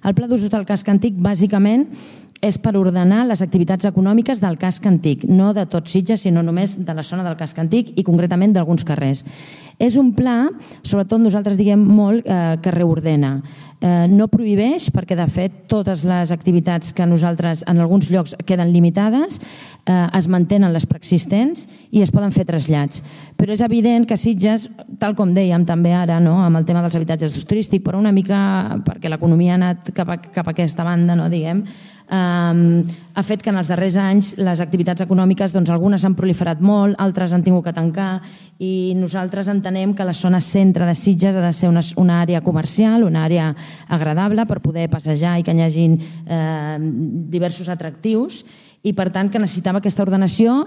El pla d'usos del casc antic, bàsicament, és per ordenar les activitats econòmiques del casc antic, no de tot Sitges, sinó només de la zona del casc antic i concretament d'alguns carrers. És un pla, sobretot nosaltres diguem molt, que reordena. No prohibeix, perquè de fet totes les activitats que nosaltres en alguns llocs queden limitades es mantenen les preexistents i es poden fer trasllats. Però és evident que Sitges, tal com dèiem també ara amb el tema dels habitatges d'ús turístic, però una mica perquè l'economia ha anat cap a aquesta banda, diguem, ha fet que en els darrers anys les activitats econòmiques, doncs algunes han proliferat molt, altres han tingut que tancar i nosaltres entenem que la zona centre de Sitges ha de ser una àrea comercial, una àrea agradable per poder passejar i que hi hagin diversos atractius i per tant que necessitava aquesta ordenació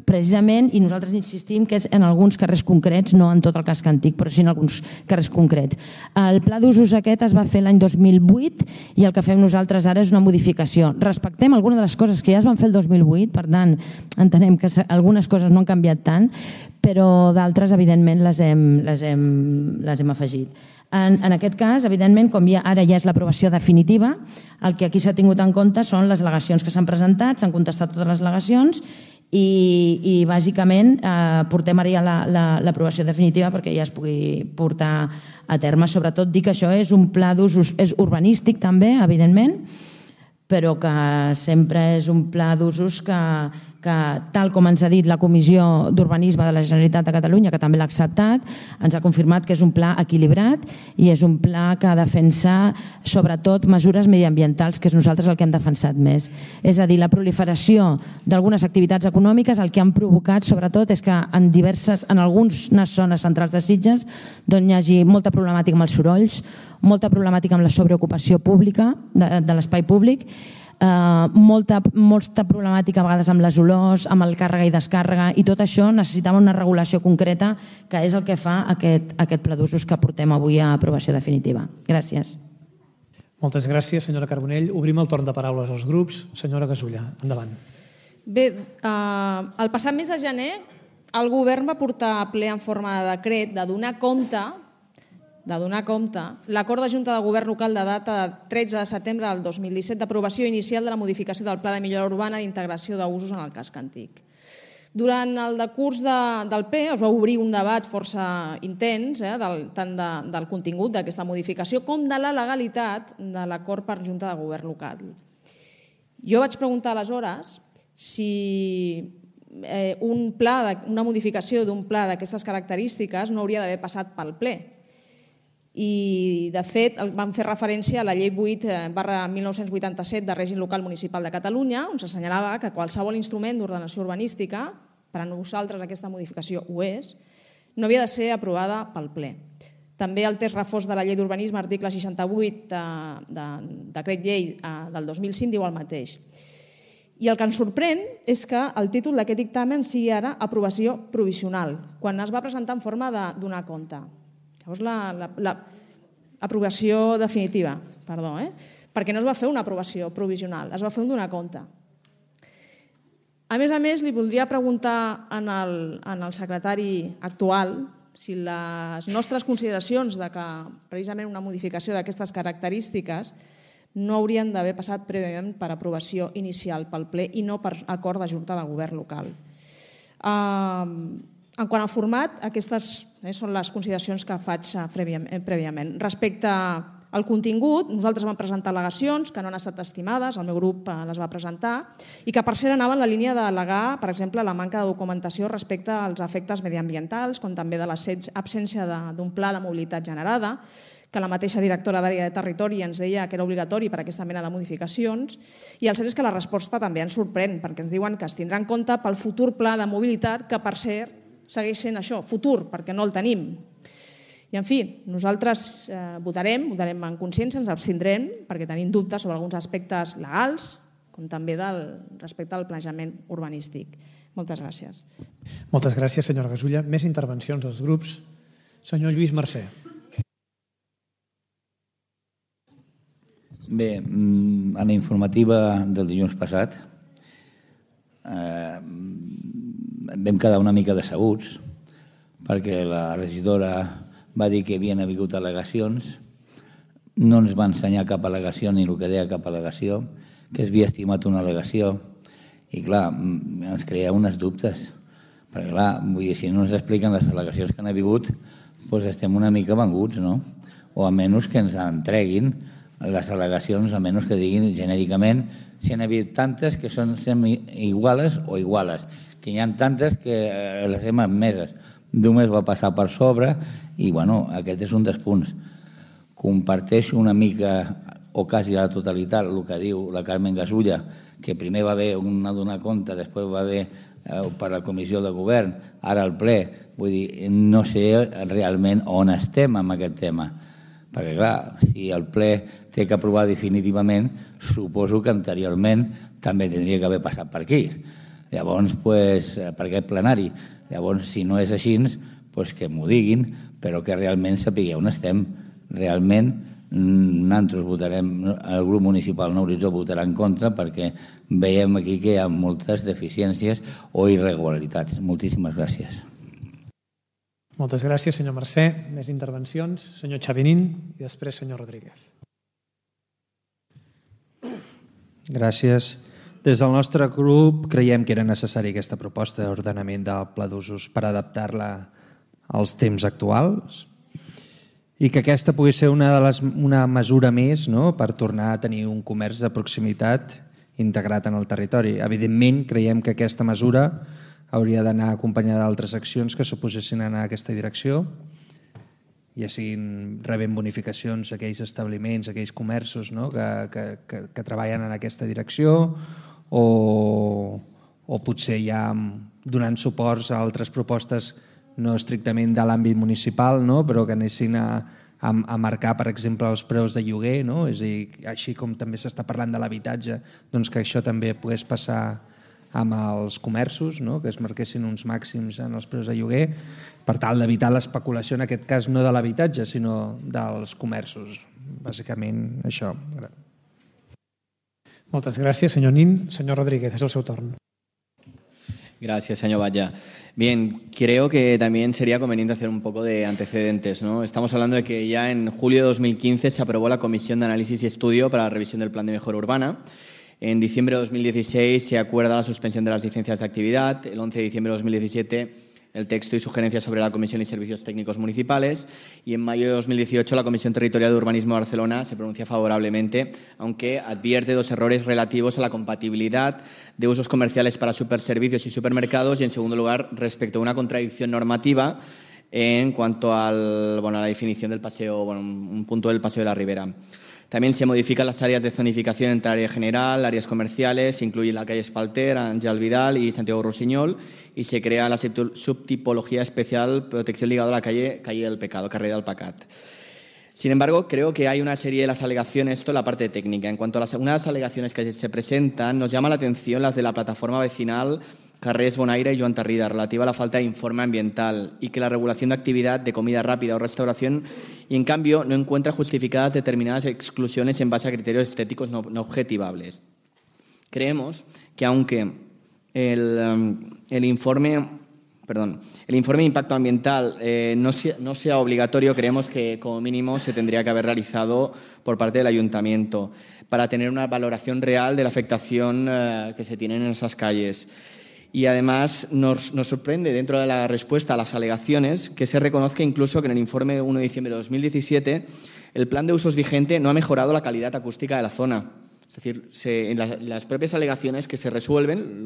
precisament, i nosaltres insistim que és en alguns carrers concrets, no en tot el casc antic, però sí en alguns carrers concrets. El pla d'usos aquest es va fer l'any 2008 i el que fem nosaltres ara és una modificació. Respectem algunes de les coses que ja es van fer el 2008, per tant, entenem que algunes coses no han canviat tant, però d'altres, evidentment, les hem afegit. En aquest cas, evidentment, com ara ja és l'aprovació definitiva, el que aquí s'ha tingut en compte són les al·legacions que s'han presentat, s'han contestat totes les al·legacions i bàsicament portem ara ja l'aprovació definitiva perquè ja es pugui portar a terme. Sobretot dir que això és un pla d'usos, és urbanístic també, evidentment, però que sempre és un pla d'usos que, tal com ens ha dit la Comissió d'Urbanisme de la Generalitat de Catalunya, que també l'ha acceptat, ens ha confirmat que és un pla equilibrat i és un pla que defensa sobretot mesures mediambientals, que és nosaltres el que hem defensat més. És a dir, la proliferació d'algunes activitats econòmiques el que han provocat sobretot és que en algunes zones centrals de Sitges hi hagi molta problemàtica amb els sorolls, molta problemàtica amb la sobreocupació pública de l'espai públic, molta problemàtica a vegades amb les olors, amb el càrrega i descàrrega, i tot això necessitava una regulació concreta que és el que fa aquest pla d'usos que portem avui a aprovació definitiva. Gràcies. Moltes gràcies, senyora Carbonell. Obrim el torn de paraules als grups. Senyora Gasulla, endavant. Bé, el passat mes de gener el govern va portar a ple en forma de decret de donar compte l'acord de Junta de Govern Local de data de 13 de setembre del 2017 d'aprovació inicial de la modificació del Pla de Millora Urbana d'integració d'usos en el casc antic. Durant el decurs del ple es va obrir un debat força intens, tant del contingut d'aquesta modificació com de la legalitat de l'acord per Junta de Govern Local. Jo vaig preguntar aleshores si una modificació d'un pla d'aquestes característiques no hauria d'haver passat pel ple. I, de fet, vam fer referència a la Llei 8/1987 de Règim Local Municipal de Catalunya, on s'assenyalava que qualsevol instrument d'ordenació urbanística, per a nosaltres aquesta modificació ho és, no havia de ser aprovada pel ple. També el text refós de la Llei d'Urbanisme, article 68 del Decret Llei del 2005, diu el mateix. I el que ens sorprèn és que el títol d'aquest dictamen sigui ara aprovació provisional, quan es va presentar en forma de donar compte. Llavors, l'aprovació definitiva, perdó, perquè no es va fer una aprovació provisional, es va fer un donar compte. A més, li voldria preguntar al secretari actual si les nostres consideracions de que precisament una modificació d'aquestes característiques no haurien d'haver passat prèviament per aprovació inicial pel ple i no per acord de Junta de Govern Local. En quant al format, aquestes són les consideracions que faig prèviament. Respecte al contingut, nosaltres vam presentar al·legacions que no han estat estimades, el meu grup les va presentar, i que per cert anaven en la línia d'al·legar, per exemple, la manca de documentació respecte als efectes mediambientals, com també de l'absència d'un pla de mobilitat generada, que la mateixa directora d'Àrea de Territori ens deia que era obligatori per a aquesta mena de modificacions, i el cert és que la resposta també ens sorprèn, perquè ens diuen que es tindrà en compte pel futur pla de mobilitat, que per cert segueix sent això, futur, perquè no el tenim. I, en fi, nosaltres votarem en consciència, ens abstindrem, perquè tenim dubtes sobre alguns aspectes legals, com també respecte al planejament urbanístic. Moltes gràcies. Moltes gràcies, senyora Gasulla. Més intervencions dels grups. Senyor Lluís Mercè. Bé, en la informativa del dilluns passat vam quedar una mica decebuts perquè la regidora va dir que havien hagut al·legacions no ens va ensenyar cap al·legació ni el que deia cap al·legació, que es havia estimat una al·legació, i clar, ens creia uns dubtes, perquè clar, vull dir, si no ens expliquen les al·legacions que han hagut, doncs estem una mica venguts, no? O almenys que ens entreguin les al·legacions, almenys que diguin genèricament si n'hi ha hagut tantes que són iguales o iguales, que hi ha tantes que les hem admeses. Només va passar per sobre i, bueno, aquest és un dels punts. Comparteixo una mica, o quasi a la totalitat, el que diu la Carmen Gasulla, que primer va haver una donar compte, després va haver per la comissió de govern, ara el ple. Vull dir, no sé realment on estem amb aquest tema. Perquè, clar, si el ple té que aprovar definitivament, suposo que anteriorment també tindria que haver passat per aquí. Llavors, per aquest plenari. Llavors, si no és així, que m'ho diguin, però que realment sapigueu on estem. Realment, nosaltres votarem, el grup municipal Nou Horitzó votarà en contra perquè veiem aquí que hi ha moltes deficiències o irregularitats. Moltíssimes gràcies. Moltes gràcies, senyor Mercè. Més intervencions. Senyor Xavinín i després senyor Rodríguez. Gràcies. Des del nostre grup creiem que era necessari aquesta proposta d'ordenament del pla d'usos per adaptar-la als temps actuals i que aquesta pugui ser una mesura més, no?, per tornar a tenir un comerç de proximitat integrat en el territori. Evidentment, creiem que aquesta mesura hauria d'anar acompanyada d'altres accions que suposessin anar en aquesta direcció, ja siguin rebent bonificacions a aquells establiments, a aquells comerços, no?, que treballen en aquesta direcció, o potser ja donant suports a altres propostes no estrictament de l'àmbit municipal, no?, però que anessin a marcar, per exemple, els preus de lloguer, no?, és a dir, així com també s'està parlant de l'habitatge, doncs que això també pogués passar amb els comerços, no?, que es marquessin uns màxims en els preus de lloguer per tal d'evitar l'especulació, en aquest cas no de l'habitatge, sinó dels comerços. Bàsicament això. Moltes gràcies, senyor Nin. Senyor Rodríguez, és el seu torn. Gracias, señor Valla. Bien, creo que también sería conveniente hacer un poco de antecedentes, ¿no? Estamos hablando de que ya en julio de 2015 se aprobó la Comisión de Análisis y Estudio para la revisión del Plan de Mejora Urbana. En diciembre de 2016 se acuerda la suspensión de las licencias de actividad. El 11 de diciembre de 2017 el texto y sugerencias sobre la Comisión y Servicios Técnicos Municipales. Y en mayo de 2018 la Comisión Territorial de Urbanismo de Barcelona se pronuncia favorablemente, aunque advierte dos errores relativos a la compatibilidad de usos comerciales para superservicios y supermercados y, en segundo lugar, respecto a una contradicción normativa en cuanto a la definición del paseo, un punto del Paseo de la Ribera. También se modifican las áreas de zonificación entre área general, áreas comerciales, se incluye la calle Espalter, Ángel Vidal y Santiago Rossinyol, y se crea la subtipología especial protección ligada a la calle del Pecado, carrera del Pecat. Sin embargo, creo que hay una serie de las alegaciones, esto es la parte técnica. En cuanto a unas alegaciones que se presentan, nos llama la atención las de la plataforma vecinal Carrers Bonaire y Joan Tarrida, relativa a la falta de informe ambiental y que la regulación de actividad de comida rápida o restauración y, en cambio, no encuentra justificadas determinadas exclusiones en base a criterios estéticos no objetivables. Creemos que aunque el informe de impacto ambiental no sea obligatorio, creemos que como mínimo se tendría que haber realizado por parte del Ayuntamiento para tener una valoración real de la afectación que se tiene en esas calles. Y además nos sorprende, dentro de la respuesta a las alegaciones, que se reconozca incluso que en el informe de 1 de diciembre de 2017 el plan de usos vigente no ha mejorado la calidad acústica de la zona. Es decir, en las propias alegaciones que se resuelven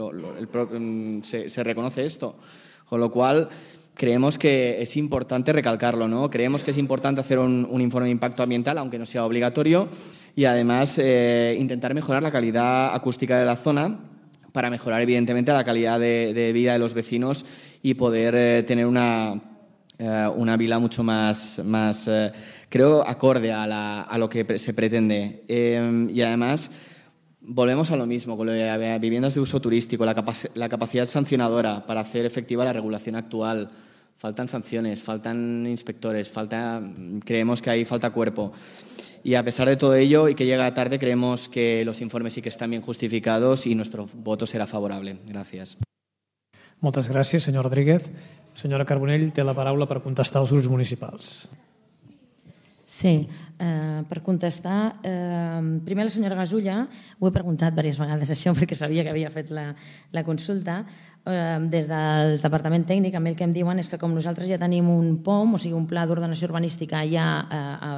se reconoce esto. Con lo cual, creemos que es importante recalcarlo, ¿no? Creemos que es importante hacer un informe de impacto ambiental, aunque no sea obligatorio, y además intentar mejorar la calidad acústica de la zona para mejorar, evidentemente, la calidad de vida de los vecinos y poder tener una vila mucho más creo, acorde a lo que se pretende. Y además, volvemos a lo mismo, con lo de viviendas de uso turístico, la capacidad sancionadora para hacer efectiva la regulación actual. Faltan sanciones, faltan inspectores, creemos que ahí falta cuerpo. Y a pesar de todo ello y que llega tarde, creemos que los informes sí que están bien justificados y nuestro voto será favorable. Gràcies. Moltes gràcies, senyor Rodríguez. Senyora Carbonell té la paraula per contestar als grups municipals. Sí, Per contestar, primer la senyora Gasulla, ho he preguntat diverses vegades això perquè sabia que havia fet la consulta, des del Departament Tècnic a mi el que em diuen és que com nosaltres ja tenim un POM, o sigui un pla d'ordenació urbanística ja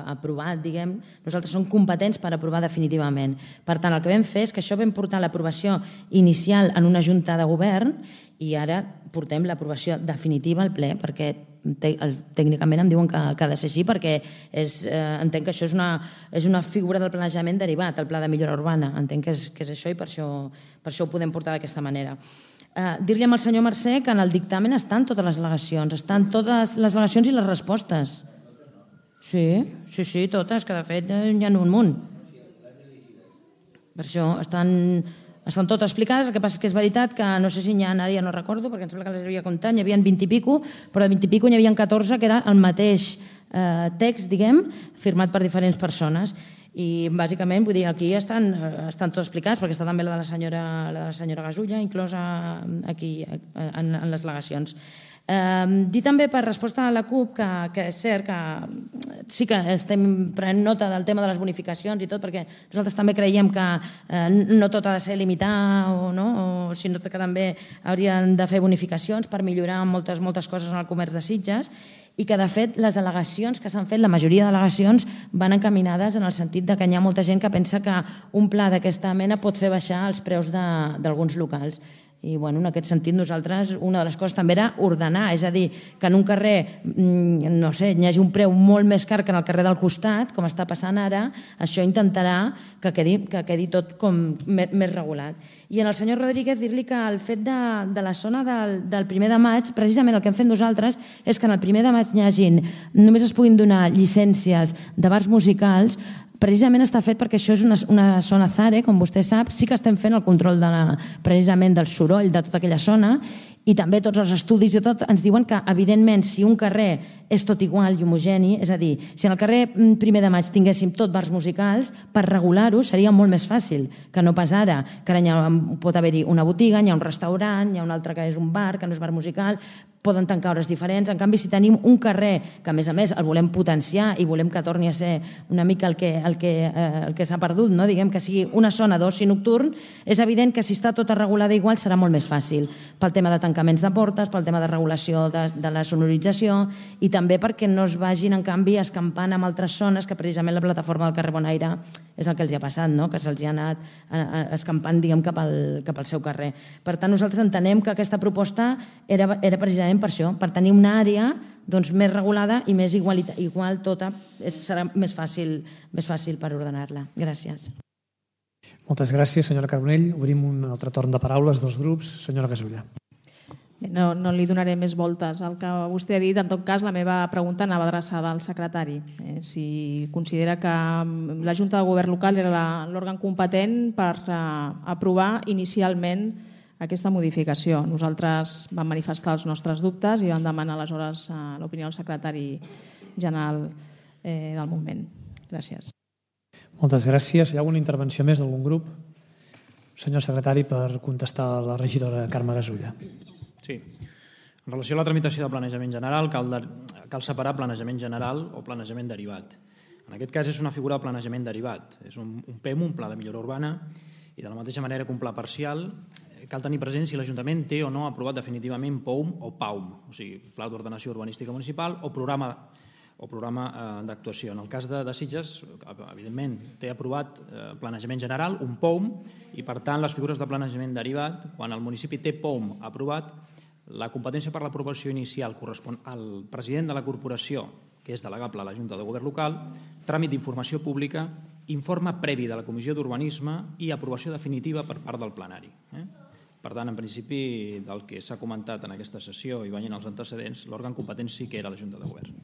aprovat, diguem, nosaltres som competents per aprovar definitivament. Per tant, el que vam fer és que això vam portar l'aprovació inicial en una junta de govern i ara portem l'aprovació definitiva al ple perquè tècnicament em diuen que ha de ser així perquè entenc que això és una figura del planejament derivat, el pla de millora urbana. Entenc que és això i per això ho podem portar d'aquesta manera. Dir-li al senyor Mercè que en el dictamen estan totes les al·legacions, estan totes les al·legacions i les respostes. Sí, totes, que de fet hi ha un munt. Per això estan totes explicades, el que passa és que és veritat que no sé si n'hi ha, ara ja no recordo, perquè em sembla que les havia comptat, n'hi havia 20 i pico, però de 20 i pico n'hi havia 14 que era el mateix text, diguem, firmat per diferents persones. I bàsicament, vull dir, aquí estan tots explicats, perquè està també la de la senyora Gasulla, inclosa aquí en les al·legacions. Dir també per resposta a la CUP que és cert que sí que estem prenent nota del tema de les bonificacions i tot, perquè nosaltres també creiem que no tot ha de ser limitar sinó que també haurien de fer bonificacions per millorar moltes coses en el comerç de Sitges i que de fet les al·legacions que s'han fet, la majoria d'al·legacions van encaminades en el sentit que hi ha molta gent que pensa que un pla d'aquesta mena pot fer baixar els preus d'alguns locals. I en aquest sentit nosaltres una de les coses també era ordenar, és a dir, que en un carrer no sé, n'hi hagi un preu molt més car que en el carrer del costat, com està passant ara, això intentarà que quedi tot com més regulat. I al senyor Rodríguez dir-li que el fet de la zona del 1 de maig, precisament el que hem fet nosaltres és que en el 1 de maig només es puguin donar llicències de bars musicals. Precisament està fet perquè això és una zona ZARE, com vostè sap, sí que estem fent el control precisament del soroll de tota aquella zona i també tots els estudis i tot ens diuen que, evidentment, si un carrer és tot igual i homogeni, és a dir, si en el carrer 1 de maig tinguéssim tot bars musicals, per regular-ho seria molt més fàcil que no pas ara, que ara pot haver-hi una botiga, hi ha un restaurant, hi ha un altre que és un bar, que no és bar musical, poden tancar hores diferents. En canvi, si tenim un carrer que, a més, el volem potenciar i volem que torni a ser una mica el que s'ha perdut, diguem que sigui una zona d'oci nocturn, és evident que si està tota regulada igual serà molt més fàcil pel tema de tancaments de portes, pel tema de regulació de la sonorització i també perquè no es vagin, en canvi, escampant en altres zones que precisament la plataforma del carrer Bonaire és el que els ha passat, que se'ls ha anat escampant, diguem, cap al seu carrer. Per tant, nosaltres entenem que aquesta proposta era precisament per això, per tenir una àrea més regulada i més igual tota, serà més fàcil per ordenar-la. Gràcies. Moltes gràcies, senyora Carbonell. Obrim un altre torn de paraules dels grups. Senyora Gasulla. No li donaré més voltes al que vostè ha dit. En tot cas, la meva pregunta anava adreçada al secretari. Si considera que la Junta de Govern local era l'òrgan competent per aprovar inicialment aquesta modificació. Nosaltres vam manifestar els nostres dubtes i vam demanar aleshores l'opinió del secretari general del moment. Gràcies. Moltes gràcies. Hi ha alguna intervenció més d'algun grup? Senyor secretari, per contestar a la regidora Carme Gasulla. Sí. En relació a la tramitació de planejament general, cal separar planejament general o planejament derivat. En aquest cas és una figura de planejament derivat. És un PEM, un pla de millora urbana, i de la mateixa manera que un pla parcial cal tenir present si l'Ajuntament té o no aprovat definitivament POUM o PAUM, o sigui, Pla d'Ordenació Urbanística Municipal o programa d'actuació. En el cas de Sitges, evidentment, té aprovat planejament general, un POUM, i per tant les figures de planejament derivat, quan el municipi té POUM aprovat, la competència per l'aprovació inicial correspon al president de la corporació, que és delegable a la Junta de Govern local, tràmit d'informació pública, informe previ de la Comissió d'Urbanisme i aprovació definitiva per part del plenari. Per tant, en principi, del que s'ha comentat en aquesta sessió i veient els antecedents, l'òrgan competent sí que era la Junta de Govern.